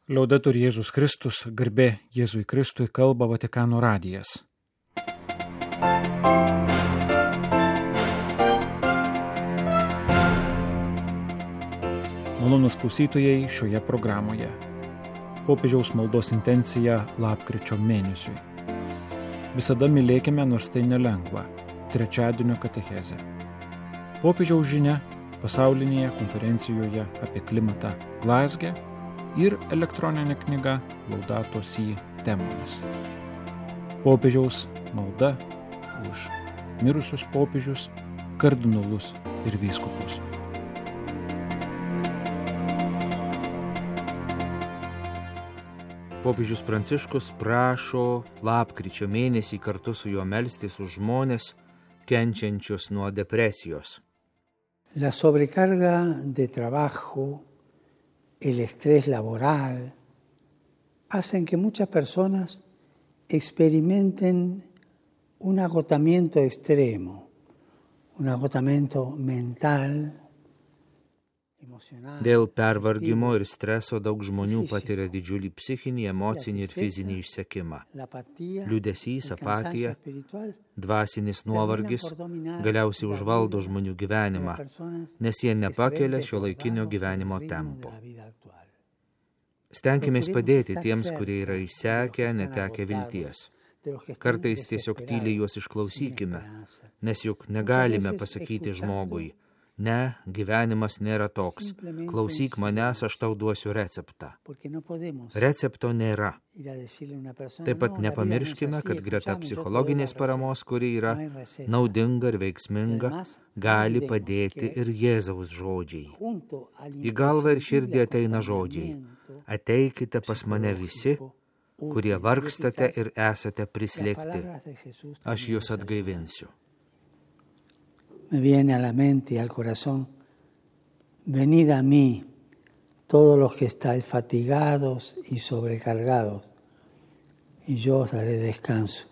Liaudetur Jėzus Kristus, garbė Jėzui Kristui, kalba Vatikano radijas. Malonūs klausytojai šioje programoje. Popiežiaus maldos intencija lapkričio mėnesiui. Visada mylėkime, nors tai nelengva. Trečiadienio katechezė. Popiežiaus žinia pasaulinėje konferencijoje apie klimatą Glazge ir elektroninė knyga Laudato Si temomis. Popiežiaus malda už mirusius popiežius, kardinolus ir vyskupus. Popiežius Pranciškus prašo lapkričio mėnesį kartu su juo melstis už žmones kenčiančius nuo depresijos. La sobrecarga de trabajo, el estrés laboral, hacen que muchas personas experimenten un agotamiento extremo, un agotamiento mental, emocional. Dėl pervargimo ir streso daug žmonių patiria didžiulį psichinį, emocinį ir fizinį išsekimą. Liūdesys, apatija, dvasinis nuovargis galiausiai užvaldo žmonių gyvenimą, nes jie nepakelia šiuolaikinio gyvenimo tempo. Stenkimės padėti tiems, kurie yra išsekę, netekę vilties. Kartais tiesiog tyliai juos išklausykime, nes juk negalime pasakyti žmogui: ne, gyvenimas nėra toks. Klausyk manęs, aš tau duosiu receptą. Recepto nėra. Taip pat nepamirškime, kad greta psichologinės paramos, kuri yra naudinga ir veiksminga, gali padėti ir Jėzaus žodžiai. Į galvą ir širdį ateina žodžiai: ateikite pas mane visi, kurie vargstate ir esate prislėgti. Aš jūs atgaivinsiu. Me viene a la mente y al corazón: venid a mí, todos los que estáis fatigados y sobrecargados, y yo os daré descanso.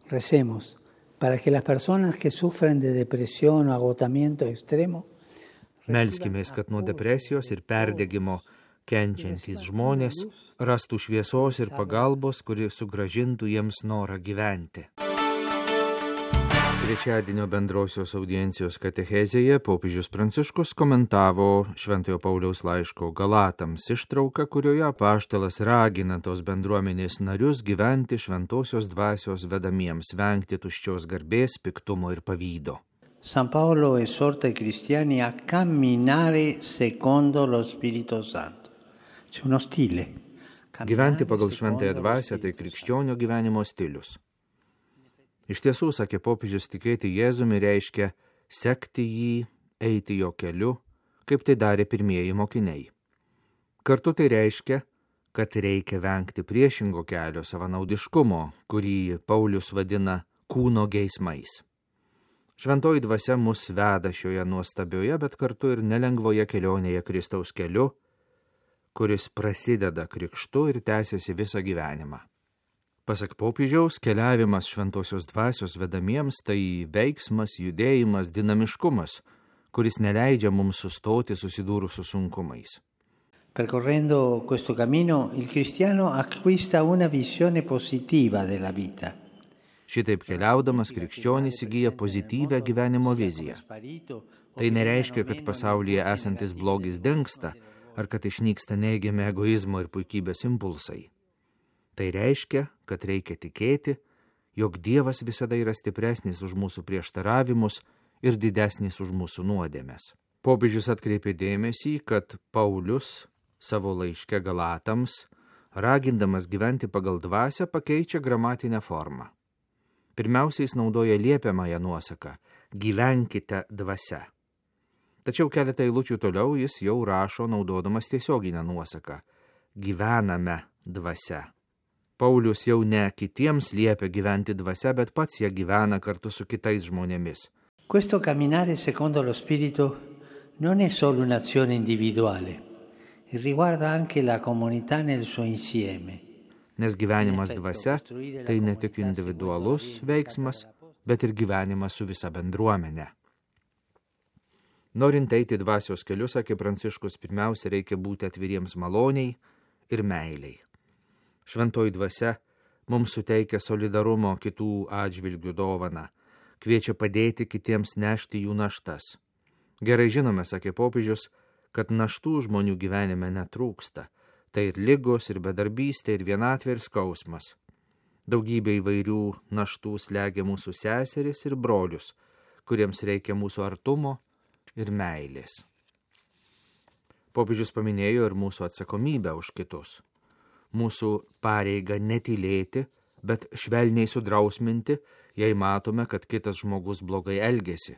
Recemos para que las personas que sufren de depresión o agotamiento extremo Melskimės, kad nuo depresijos ir perdegimo kenčiantys žmonės rastų šviesos ir pagalbos, kuri sugrąžintų jiems norą gyventi. Trečiadienio bendrosios audiencijos katechezėje popiežius Pranciškus komentavo Šventojo Pauliaus laiško Galatams ištrauką, kurioje apaštalas ragina tos bendruomenės narius gyventi šventosios dvasios vedamiems, vengti tuščios garbės, piktumo ir pavydo. San Paolo esorta i cristiani a camminare secondo lo Spirito Santo. C'è uno stile. Gyventi pagal šventąją dvasią tai krikščionio gyvenimo stilius. Iš tiesų, sakė popiežius, tikėti Jėzumi reiškia sekti jį, eiti jo keliu, kaip tai darė pirmieji mokiniai. Kartu tai reiškia, kad reikia vengti priešingo kelio, savanaudiškumo, kurį Paulius vadina kūno geismais. Šventoji dvasia mus veda šioje nuostabioje, bet kartu ir nelengvoje kelionėje Kristaus keliu, kuris prasideda krikštu ir tęsiasi visą gyvenimą. Pasak popiežiaus, keliavimas šventosios dvasios vedamiems tai veiksmas, judėjimas, dinamiškumas, kuris neleidžia mums sustoti susidūrus su sunkumais. Percorrendo questo cammino, il cristiano acquista una visione positiva della vita. Šitaip keliaudamas krikščionis įgyja pozityvią gyvenimo viziją. Tai nereiškia, kad pasaulyje esantis blogis dingsta, ar kad išnyksta neigiami egoizmo ir puikybės impulsai. Tai reiškia, kad reikia tikėti, jog Dievas visada yra stipresnis už mūsų prieštaravimus ir didesnis už mūsų nuodėmes. Popiežius atkreipė dėmesį, kad Paulius savo laiške Galatams, ragindamas gyventi pagal dvasią, pakeičia gramatinę formą. Pirmiausia, jis naudoja liepiamąją nuosaką – gyvenkite dvasia. Tačiau keletą eilučių toliau jis jau rašo naudodamas tiesioginę nuosaką – gyvename dvasia. Paulius jau ne kitiems liepia gyventi dvasia, bet pats ją gyvena kartu su kitais žmonėmis. Questo camminare secondo lo Spirito non è solo un'azione individuale, riguarda anche la comunità nel suo insieme. Nes gyvenimas dvasia tai ne tik individualus veiksmas, bet ir gyvenimas su visa bendruomenė. Norint eiti dvasios keliu, sakė Pranciškus, pirmiausia reikia būti atviriems maloniai, ir meiliai. Šventoji dvasia mums suteikia solidarumo kitų atžvilgių dovaną, kviečia padėti kitiems nešti jų naštas. Gerai žinome, sakė popiežius, kad naštų žmonių gyvenime netrūksta. Tai ir ligos, ir bedarbystė, ir vienatvė, ir skausmas. Daugybė įvairių naštų slegia mūsų seseris ir brolius, kuriems reikia mūsų artumo ir meilės. Popiežius paminėjo ir mūsų atsakomybę už kitus. Mūsų pareiga netylėti, bet švelniai sudrausminti, jei matome, kad kitas žmogus blogai elgiasi.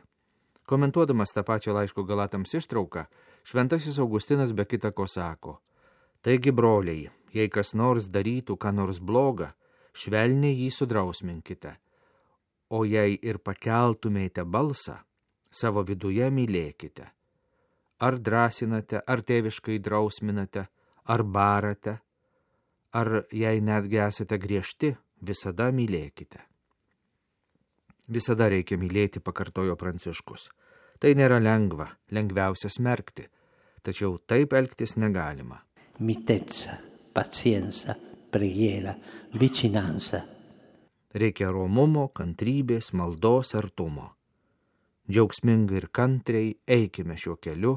Komentuodamas tą pačią laiško Galatams ištrauką, šventasis Augustinas be kita ko sako: taigi, broliai, jei kas nors darytų ką nors blogą, švelniai jį sudrausminkite, o jei ir pakeltumėte balsą, savo viduje mylėkite. Ar drąsinate, ar tėviškai drausminate, ar barate, ar jei netgi esate griežti, visada mylėkite. Visada reikia mylėti, pakartojo Pranciškus. Tai nėra lengva, lengviausia smerkti, tačiau taip elgtis negalima. Mitezza, pazienza, preghiera, vicinanza. Reikia romumo, kantrybės, maldos, artumo. Džiaugsmingai ir kantriai eikime šiuo keliu,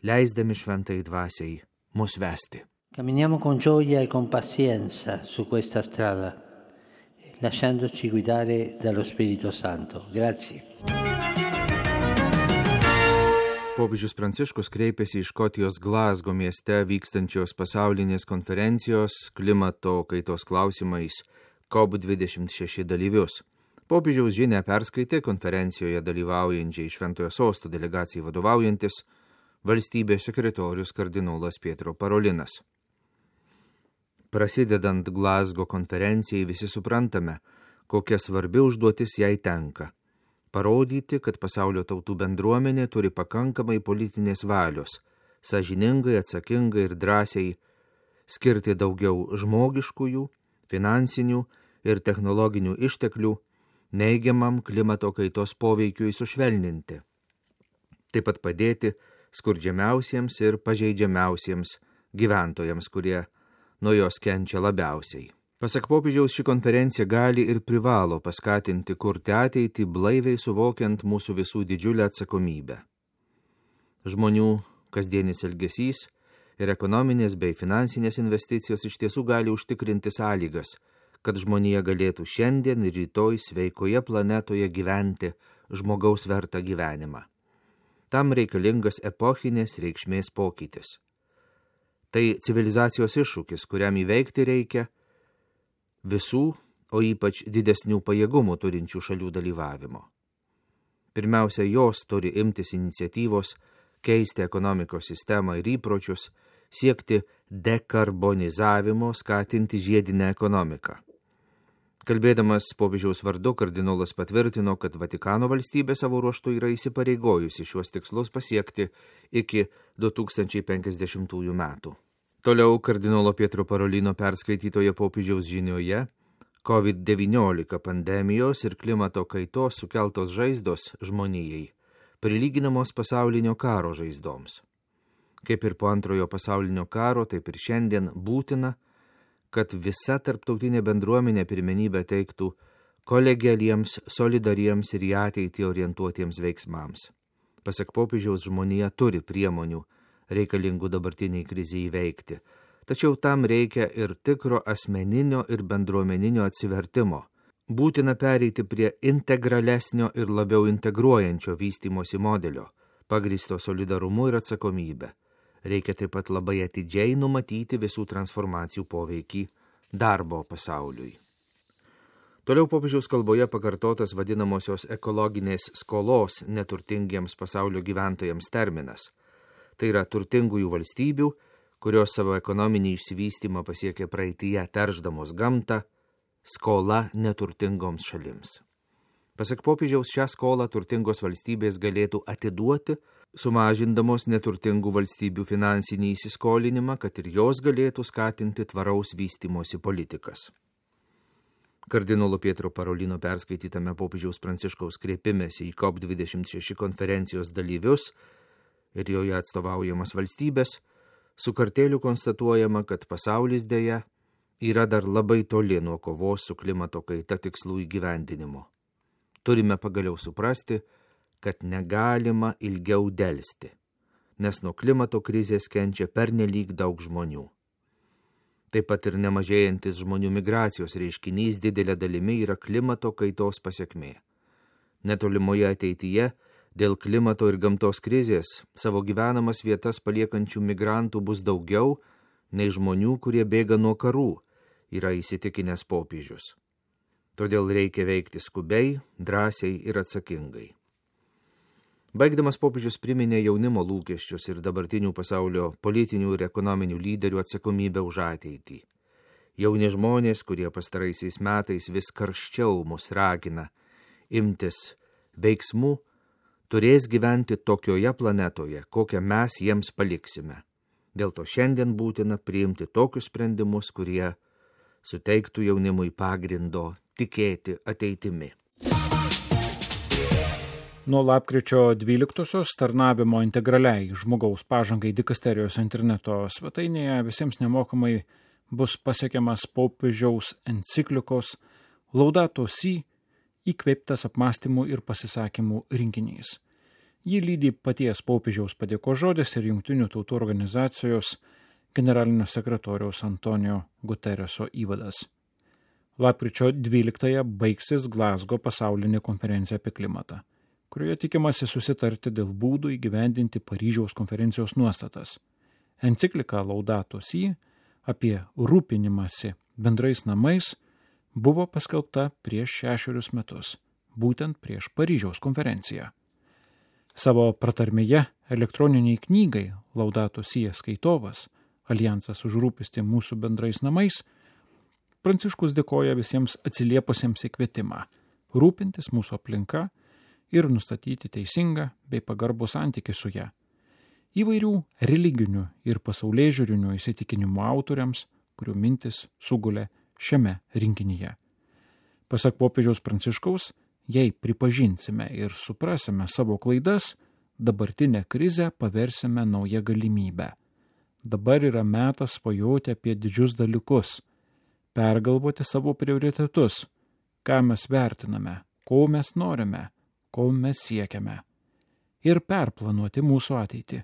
leisdami šventai dvasiai mus vesti. Camminiamo con gioia e con pazienza su questa strada, lasciandoci guidare dallo Spirito Santo. Grazie. Popiežius Pranciškus kreipėsi į Škotijos Glazgo mieste vykstančios pasaulinės konferencijos klimato kaitos klausimais COP26 dalyvius. Popiežiaus žinią perskaitė konferencijoje dalyvaujančiai Šventojo Sosto delegacijai vadovaujantis valstybės sekretorius kardinolas Pietro Parolinas. Prasidedant Glazgo konferencijai visi suprantame, kokia svarbi užduotis jai tenka. Parodyti, kad pasaulio tautų bendruomenė turi pakankamai politinės valios, sąžiningai, atsakingai ir drąsiai skirti daugiau žmogiškųjų, finansinių ir technologinių išteklių neigiamam klimato kaitos poveikiui sušvelninti. Taip pat padėti skurdžiamiausiems ir pažeidžiamiausiems gyventojams, kurie nuo jos kenčia labiausiai. Pasak popiežiaus, ši konferencija gali ir privalo paskatinti kurti ateitį blaiviai suvokiant mūsų visų didžiulę atsakomybę. Žmonių kasdienis elgesys ir ekonominės bei finansinės investicijos iš tiesų gali užtikrinti sąlygas, kad žmonija galėtų šiandien ir rytoj sveikoje planetoje gyventi žmogaus vertą gyvenimą. Tam reikalingas epochinės reikšmės pokytis. Tai civilizacijos iššūkis, kuriam įveikti reikia visų, o ypač didesnių pajėgumų turinčių šalių dalyvavimo. Pirmiausia, jos turi imtis iniciatyvos, keisti ekonomikos sistemą ir įpročius, siekti dekarbonizavimo, skatinti žiedinę ekonomiką. Kalbėdamas popiežiaus vardu, kardinolas patvirtino, kad Vatikano valstybė savo ruožtu yra įsipareigojusi šiuos tikslus pasiekti iki 2050 metų. Toliau kardinolo Pietro Parolino perskaitytoje popiežiaus žinioje COVID-19 pandemijos ir klimato kaitos sukeltos žaizdos žmonijai prilyginamos pasaulinio karo žaizdoms. Kaip ir po antrojo pasaulinio karo, taip ir šiandien būtina, kad visa tarptautinė bendruomenė pirmenybę teiktų kolegialiems, solidariems ir į ateitį orientuotiems veiksmams. Pasak popiežiaus, žmonija turi priemonių reikalingų dabartiniai krizei įveikti, tačiau tam reikia ir tikro asmeninio ir bendruomeninio atsivertimo. Būtina pereiti prie integralesnio ir labiau integruojančio vystymosi modelio, pagrįsto solidarumu ir atsakomybę. Reikia taip pat labai atidžiai numatyti visų transformacijų poveikį darbo pasauliui. Toliau popiežiaus kalboje pakartotas vadinamosios ekologinės skolos neturtingiems pasaulio gyventojams terminas. Tai yra turtingųjų valstybių, kurios savo ekonominį išsivystymą pasiekė praeityje teršdamos gamtą, skola neturtingoms šalims. Pasak popiežiaus, šią skolą turtingos valstybės galėtų atiduoti, sumažindamos neturtingų valstybių finansinį įsiskolinimą, kad ir jos galėtų skatinti tvaraus vystymosi politikas. Kardinolo Pietro Parolino perskaitytame popiežiaus Pranciškaus kreipimėsi į COP26 konferencijos dalyvius ir joje atstovaujamas valstybės Su kartėliu konstatuojama, kad pasaulis dėja yra dar labai toli nuo kovos su klimato kaita tikslų įgyvendinimo. Turime pagaliau suprasti, kad negalima ilgiau delsti, nes nuo klimato krizės kenčia pernelyg daug žmonių. Taip pat ir nemažėjantis žmonių migracijos reiškinys didelė dalimi yra klimato kaitos pasekmė. Netolimoje ateityje dėl klimato ir gamtos krizės savo gyvenamas vietas paliekančių migrantų bus daugiau nei žmonių, kurie bėga nuo karų, yra įsitikinęs popiežius. Todėl reikia veikti skubiai, drąsiai ir atsakingai. Baigdamas popiežius priminė jaunimo lūkesčius ir dabartinių pasaulio politinių ir ekonominių lyderių atsakomybę už ateitį. Jauni žmonės, kurie pastaraisiais metais vis karščiau mus ragina imtis veiksmų, turės gyventi tokioje planetoje, kokią mes jiems paliksime. Dėl to šiandien būtina priimti tokius sprendimus, kurie suteiktų jaunimui pagrindo tikėti ateitimi. Nuo lapkričio 12-osios tarnavimo integraliai žmogaus pažangai dikasterijos interneto svetainėje visiems nemokamai bus pasiekiamas popiežiaus enciklikos Laudato Si įkvėptas apmąstymų ir pasisakymų rinkinys. Jį lydi paties popiežiaus padėkos žodis ir Jungtinių tautų organizacijos generalinio sekretoriaus Antonijo Gutereso įvadas. Lapkričio 12-ąją baigsis Glasgow pasaulinė konferencija apie klimatą, kurioje tikimasi susitarti dėl būdų įgyvendinti Paryžiaus konferencijos nuostatas. Enciklika Laudato Si apie rūpinimąsi bendrais namais buvo paskelbta prieš 6 metus, būtent prieš Paryžiaus konferenciją. Savo pratarmėje elektroniniai knygai Laudato Si skaitovas Alijansas už rūpestį mūsų bendrais namais, Pranciškus dėkoja visiems atsiliepusiems į kvietimą rūpintis mūsų aplinka ir nustatyti teisingą bei pagarbų santykį su ją. Įvairių religinių ir pasaulėžiūrinių įsitikinimų autoriams, kurių mintis sugulė šiame rinkinyje. Pasak popiežiaus Pranciškaus, jei pripažinsime ir suprasime savo klaidas, dabartinę krizę paversime naują galimybę. Dabar yra metas svajoti apie didžius dalykus, pergalvoti savo prioritetus, ką mes vertiname, ko mes norime, ko mes siekiame, ir perplanuoti mūsų ateitį,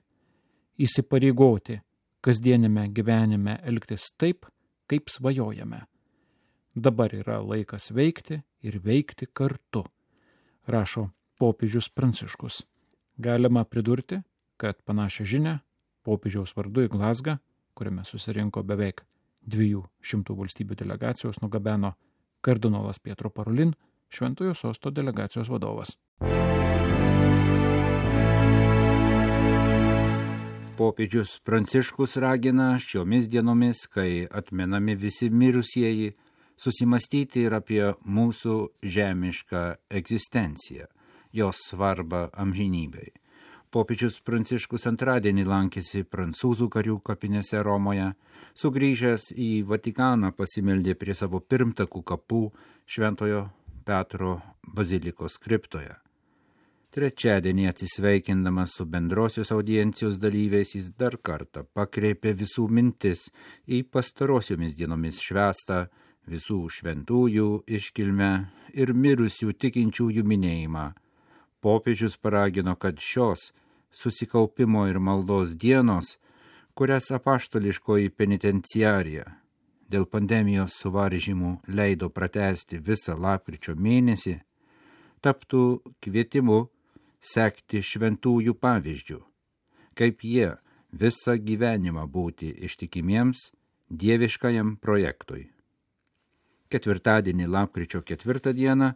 įsipareigoti kasdienime gyvenime elgtis taip, kaip svajojame. Dabar yra laikas veikti ir veikti kartu, rašo popiežius Pranciškus. Galima pridurti, kad panašią žinią popiežiaus vardu į Glazgą, kuriame susirinko beveik 200 valstybių delegacijos, nugabeno kardinolas Pietro Parolin, Šventojo Sosto delegacijos vadovas. Popiežius Pranciškus ragina šiomis dienomis, kai atmenami visi mirusieji, susimastyti ir apie mūsų žemišką egzistenciją, jos svarbą amžinybei. Popiežius Pranciškus antradienį lankėsi prancūzų karių kapinėse Romoje, sugrįžęs į Vatikaną pasimeldė prie savo pirmtakų kapų Šventojo Petro bazilikos kriptoje. Trečiadienį atsisveikindamas su bendrosios audiencijos dalyviais jis dar kartą pakreipė visų mintis į pastarosiomis dienomis švęstą visų šventųjų iškilmę ir mirusių tikinčiųjų minėjimą. Popiežius paragino, kad šios susikaupimo ir maldos dienos, kurias apaštališkoji penitenciarija dėl pandemijos suvaržymų leido pratęsti visą lapkričio mėnesį, taptų kvietimu sekti šventųjų pavyzdžių, kaip jie visą gyvenimą būti ištikimiems dieviškajam projektui. Ketvirtadienį lapkričio 4 dieną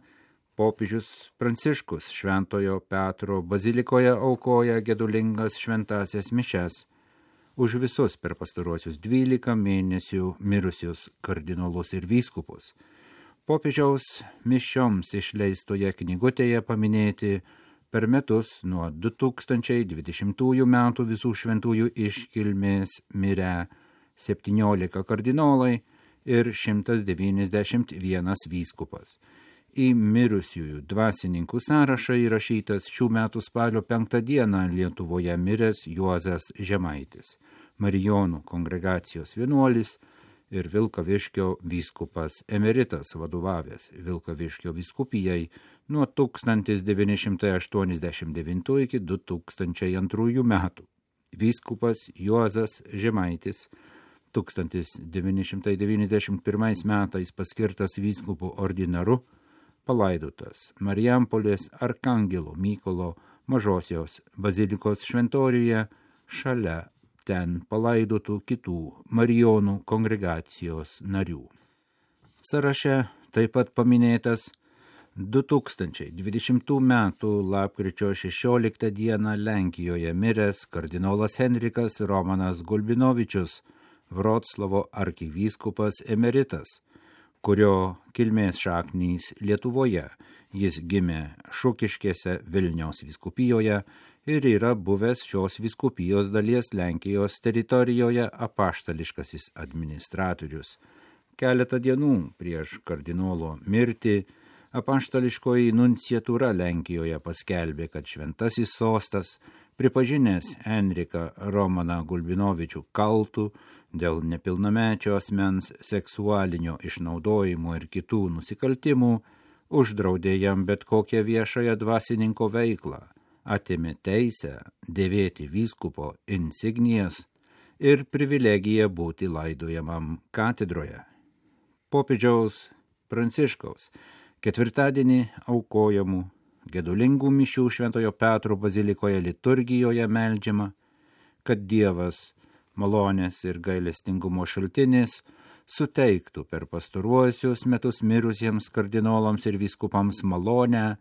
popiežius Pranciškus Šventojo Petro bazilikoje aukoja gedulingas šventąsias mišias už visus per pastaruosius 12 mėnesių mirusius kardinolus ir vyskupus. Popiežiaus mišioms išleistoje knygutėje paminėti per metus nuo 2020 metų visų šventųjų iškilmės mirę 17 kardinolai ir 191 vyskupas. Į mirusiųjų dvasininkų sąrašą įrašytas šių metų spalio 5 dieną Lietuvoje miręs Juozas Žemaitis. Marijonų kongregacijos vienuolis ir Vilkaviškio vyskupas emeritas, vadovavęs Vilkaviškio vyskupijai nuo 1989 iki 2002 metų. Vyskupas Juozas Žemaitis 1991 metais paskirtas vyskupų ordinaru, palaidotas Marijampolės Arkangelo Mykolo Mažosios bazilikos šventoriuje šalia ten palaidotų kitų Marijonų kongregacijos narių. Sąraše taip pat paminėtas 2020 m. lapkričio 16 d. Lenkijoje miręs kardinolas Henrikas Romanas Gulbinovičius, Vroclavo arkivyskupas emeritas, kurio kilmės šaknys Lietuvoje. Jis gimė Šukiškėse Vilniaus vyskupijoje ir yra buvęs šios vyskupijos dalies Lenkijos teritorijoje apaštališkasis administratorius. Keletą dienų prieš kardinolo mirtį apaštališkoji nunciatūra Lenkijoje paskelbė, kad šventasis sostas, pripažinęs Henriką Romaną Gulbinovičių kaltų dėl nepilnamečio asmens seksualinio išnaudojimo ir kitų nusikaltimų, uždraudė jam bet kokią viešąją dvasininko veiklą, atėmė teisę dėvėti vyskupo insignijas ir privilegiją būti laidojamam katedroje. Popiežiaus Pranciškaus ketvirtadienį aukojamų gedulingų mišių Šventojo Petro bazilikoje liturgijoje meldžiama, kad Dievas, malonės ir gailestingumo šaltinis, suteiktų per pastaruosius metus mirusiems kardinolams ir vyskupams malonę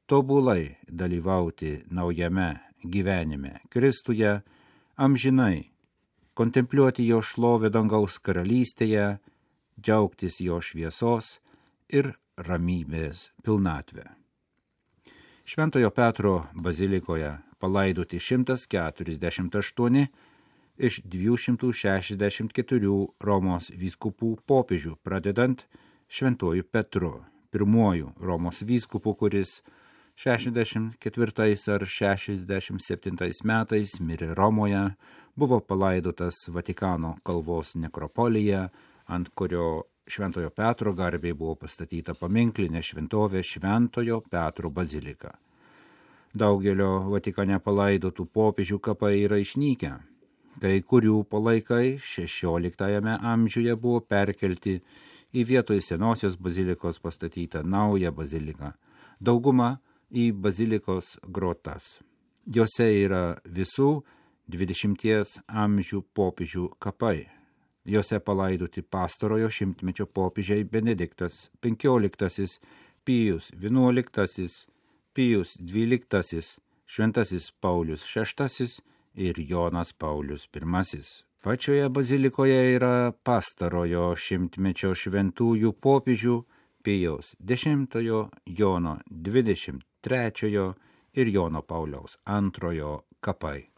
tobulai dalyvauti naujame gyvenime Kristuje, amžinai kontempliuoti jo šlovę dangaus karalystėje, džiaugtis jo šviesos ir ramybės pilnatvę. Šventojo Petro bazilikoje palaidoti 148 iš 264 Romos vyskupų popiežių, pradedant Šventuoju Petru, pirmuoju Romos vyskupu, kuris 64 ar 67 metais mirė Romoje, buvo palaidotas Vatikano kalvos nekropolyje, ant kurio Šventojo Petro garbei buvo pastatyta paminklinė šventovė Šventojo Petro bazilika. Daugelio Vatikane palaidotų popiežių kapai yra išnykę. Kai kurių palaikai 16 amžiuje buvo perkelti į vietoj senosios bazilikos pastatytą naują baziliką, dauguma į bazilikos grotas. Jose yra visų 20 amžių popiežių kapai. Jose palaidoti pastarojo šimtmečio popiežiai Benediktas XV, Pijus XI, Pijus XII, Šventasis Paulius VI ir Jonas Paulius I. Pačioje bazilikoje yra pastarojo šimtmečio šventųjų popiežių Pijaus X, Jono XXIII ir Jono Pauliaus II kapai.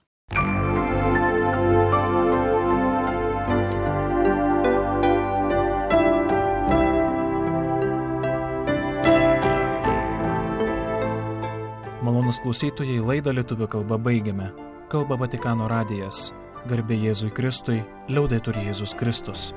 Malonūs klausytojai, laidą lietuvių kalba baigiame. Kalba Vatikano radijas. Garbė Jėzui Kristui, liaudetur Jėzus Kristus.